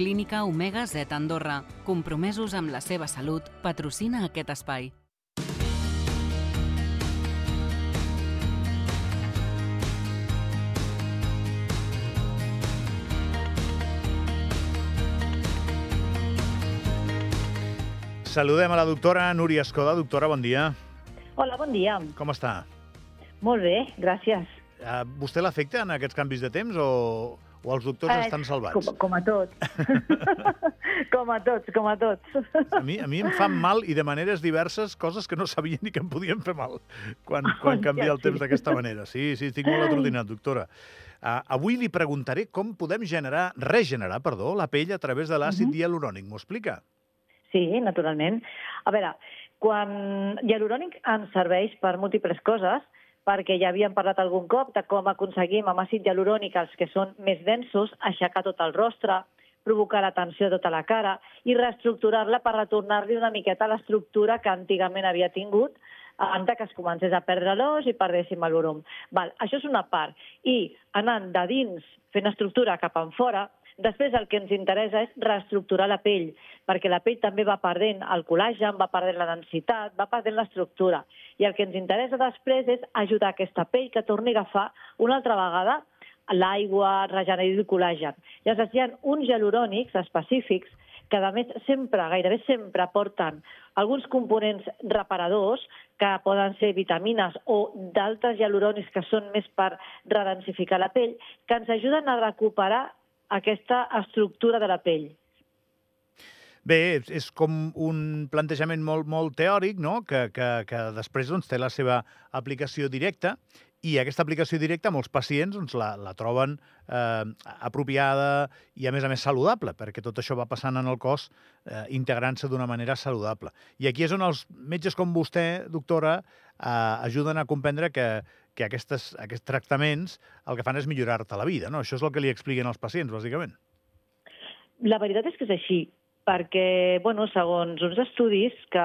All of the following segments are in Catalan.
Clínica Omega Z Andorra, compromesos amb la seva salut, patrocina aquest espai. Saludem a la doctora Núria Escoda. Doctora, bon dia. Hola, bon dia. Com està? Molt bé, gràcies. Vostè l'afecta en aquests canvis de temps o els doctors estan salvats? Com a tots. com a tots. A mi em fan mal i de maneres diverses, coses que no sabia ni que em podien fer mal quan canvia el temps d'aquesta manera. Sí, estic molt atrotinat, doctora. Avui li preguntaré com podem regenerar la pell a través de l'àcid hialurònic. M'ho explica? Sí, naturalment. A veure, hialurònic ens serveix per múltiples coses, perquè ja havíem parlat algun cop de com aconseguim amb àcid hialurònic els que són més densos, aixecar tot el rostre, provocar la tensió de tota la cara i reestructurar-la per retornar-li una miqueta a l'estructura que antigament havia tingut abans que es comencés a perdre l'os i perdéssim el volum. Això és una part. I anant de dins, fent estructura cap enfora, després el que ens interessa és reestructurar la pell, perquè la pell també va perdent el col·làgen, va perdent la densitat, va perdent l'estructura. I el que ens interessa després és ajudar aquesta pell que torni a agafar una altra vegada l'aigua, regenerar el col·làgen. Llavors hi ha uns hialurònics específics que a més gairebé sempre porten alguns components reparadors que poden ser vitamines o d'altres hialurònics que són més per redensificar la pell, que ens ajuden a recuperar aquesta estructura de la pell. Bé, és com un plantejament molt teòric, no? que després té la seva aplicació directa, i aquesta aplicació directa molts pacients la troben apropiada i, a més saludable, perquè tot això va passant en el cos integrant-se d'una manera saludable. I aquí és on els metges com vostè, doctora, ajuden a comprendre que aquests tractaments el que fan és millorar-te la vida, no? Això és el que li expliquen als pacients, bàsicament. La veritat és que és així, perquè, segons uns estudis que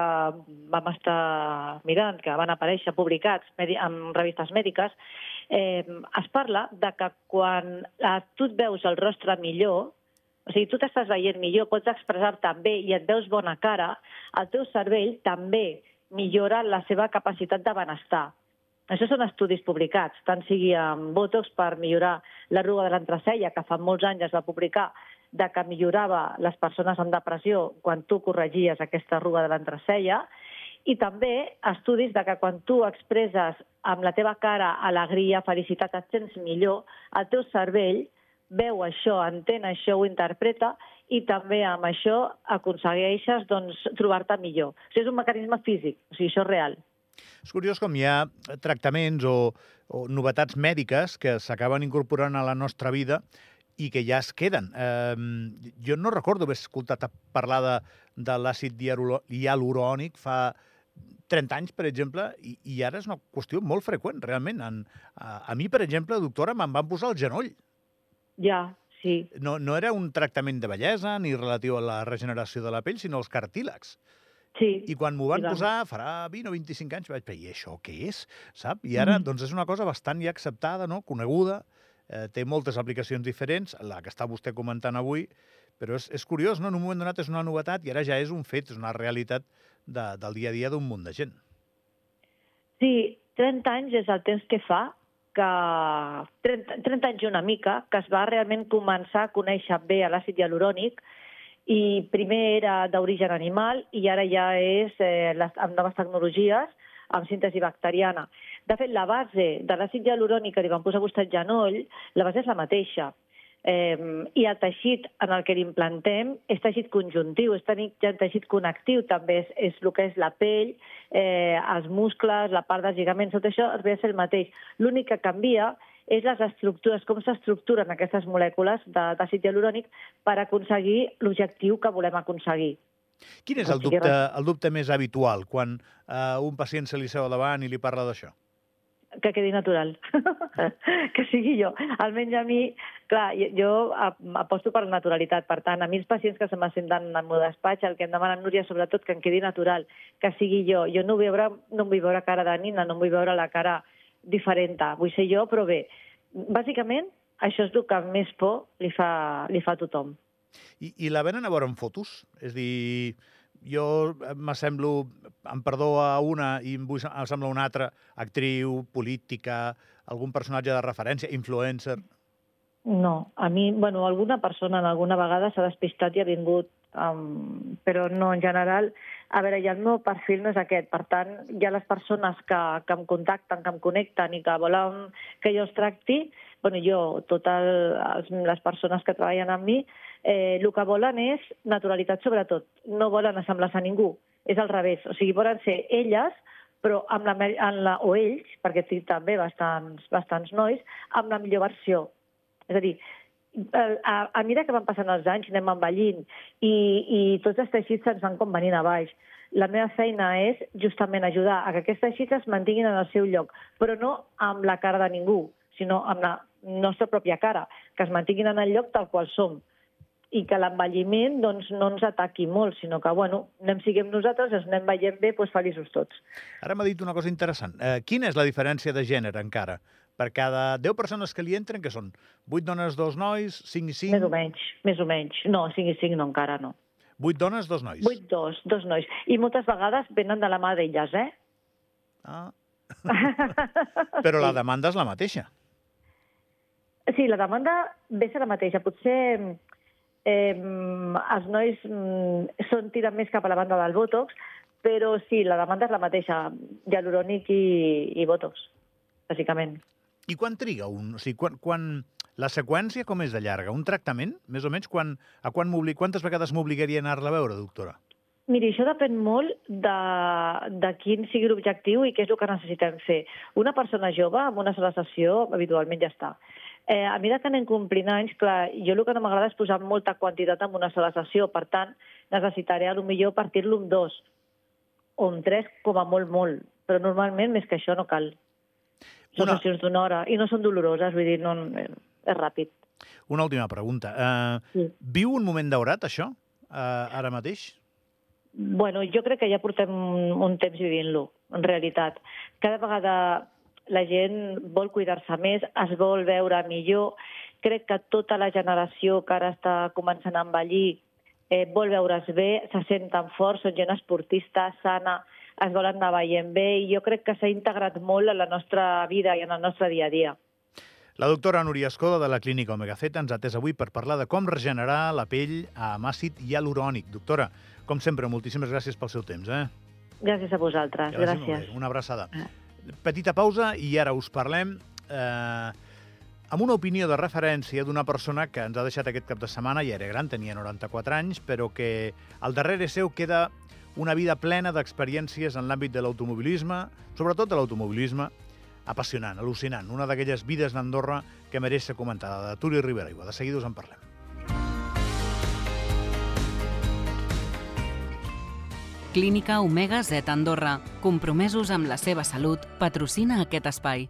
vam estar mirant, que van aparèixer publicats en revistes mèdiques, es parla de que quan tu et veus el rostre millor, o sigui, tu t'estàs veient millor, pots expressar-te bé i et veus bona cara, el teu cervell també millora la seva capacitat de benestar. Això són estudis publicats, tant sigui amb Botox per millorar l'arruga de l'entrecella, que fa molts anys es va publicar de que millorava les persones amb depressió quan tu corregies aquesta arruga de l'entrecella, i també estudis de que quan tu expresses amb la teva cara alegria, felicitat, et sents millor, el teu cervell veu això, entén això, ho interpreta, i també amb això aconsegueixes trobar-te millor. O sigui, és un mecanisme físic, o sigui, això és real. És curiós com hi ha tractaments o novetats mèdiques que s'acaben incorporant a la nostra vida i que ja es queden. Jo no recordo haver escoltat parlar de l'àcid hialurònic fa 30 anys, per exemple, i ara és una qüestió molt freqüent, realment. A mi, per exemple, doctora, me'n van posar al genoll. Ja, sí. No era un tractament de bellesa ni relatiu a la regeneració de la pell, sinó als cartílags. Sí. I quan m'ho van posar, farà 20 o 25 anys, vaig dir, i això què és? Sap? I ara és una cosa bastant ja acceptada, coneguda, té moltes aplicacions diferents, la que està vostè comentant avui, però és curiós, no? En un moment donat és una novetat i ara ja és un fet, és una realitat del dia a dia d'un munt de gent. Sí, 30 anys és el temps que fa, 30 anys i una mica, que es va realment començar a conèixer bé l'àcid hialurònic, i primer era d'origen animal i ara ja és amb noves tecnologies, amb síntesi bacteriana. De fet, la base de l'àcid hialurònic que li van posar a vostè al genoll, la base és la mateixa. I el teixit en el que l'implantem és teixit conjuntiu, és teixit connectiu, també és el que és la pell, els muscles, la part dels lligaments, tot això ve a ser el mateix. L'únic que canvia és les estructures, com s'estructuren aquestes molècules d'àcid hialurònic per aconseguir l'objectiu que volem aconseguir. Quin és el dubte més habitual quan un pacient se li seu davant i li parla d'això? Que quedi natural, que sigui jo. Almenys a mi, clar, jo aposto per la naturalitat. Per tant, a mi els pacients que se m'assenten en el meu despatx, el que em demanen, Núria, sobretot que em quedi natural, que sigui jo. Jo no vull veure cara de nina, no vull veure la cara diferent. Vull ser jo, però bé, bàsicament això és el que més por li fa a tothom. I la venen a veure en fotos? És a dir, jo m'assemblo, em perdó a una i em sembla una altra, actriu, política, algun personatge de referència, influencer... No, a mi, alguna persona alguna vegada s'ha despistat i ha vingut, però no, en general, a veure, ja el meu perfil no és aquest, per tant, hi ha les persones que em contacten, que em connecten i que volen que jo els tracti, totes les persones que treballen amb mi, el que volen és naturalitat sobretot, no volen assemblar-se a ningú, és al revés, o sigui, volen ser elles, però o ells, perquè tinc també bastants nois, amb la millor versió. És a dir, a mesura que van passant els anys, anem envellint i tots els teixits se'ns van com venint a baix. La meva feina és justament ajudar a que aquests teixits es mantinguin en el seu lloc, però no amb la cara de ningú, sinó amb la nostra pròpia cara, que es mantinguin en el lloc tal qual som i que l'envelliment no ens ataqui molt, sinó que, anem siguem nosaltres, ens anem veient bé, feliços tots. Ara m'ha dit una cosa interessant. Quina és la diferència de gènere encara? Per cada 10 persones que li entren, que són 8 dones, 2 nois, 5 i 5? Més o menys. No, 5 i 5 no, encara no. 8 dones, 2 nois? 8, 2 nois. I moltes vegades venen de la mà d'elles, Ah. Però la demanda és la mateixa. Sí, la demanda ve ser la mateixa. Potser els nois tiren més cap a la banda del Botox, però sí, la demanda és la mateixa, hialurònic i Botox, bàsicament. I quan triga un? O sigui, la seqüència com és de llarga? Un tractament, més o menys? Quantes vegades m'obligaria a anar-la a veure, doctora? Miri, això depèn molt de quin sigui l'objectiu i què és el que necessitem fer. Una persona jove, amb una sola sessió, habitualment ja està. A mesura que anem complint anys, clar, jo el que no m'agrada és posar molta quantitat en una sola sessió. Per tant, necessitaré potser partir-lo en 2 o en 3, com a molt. Però normalment, més que això, no cal. Són sessions d'1 hora i no són doloroses, vull dir, no, és ràpid. Una última pregunta. Viu un moment daurat, això, ara mateix? Jo crec que ja portem un temps vivint-lo, en realitat. Cada vegada la gent vol cuidar-se més, es vol veure millor. Crec que tota la generació que ara està començant a envellir vol veure's bé, se senten forts, són gent esportista, sana, es volen anar veient bé i jo crec que s'ha integrat molt en la nostra vida i en el nostre dia a dia. La doctora Núria Escoda de la Clínica Omega Z ens ha atès avui per parlar de com regenerar la pell amb àcid hialurònic. Doctora, com sempre, moltíssimes gràcies pel seu temps. Gràcies a vosaltres. Gràcies. Una abraçada. Petita pausa i ara us parlem amb una opinió de referència d'una persona que ens ha deixat aquest cap de setmana, ja era gran, tenia 94 anys, però que al darrere seu queda una vida plena d'experiències en l'àmbit de l'automobilisme, sobretot de l'automobilisme, apassionant, al·lucinant, una d'aquelles vides d'Andorra que mereix ser comentada, de Turi Ribera Aigua. De seguida us en parlem. Clínica Omega Z Andorra, compromesos amb la seva salut, patrocina aquest espai.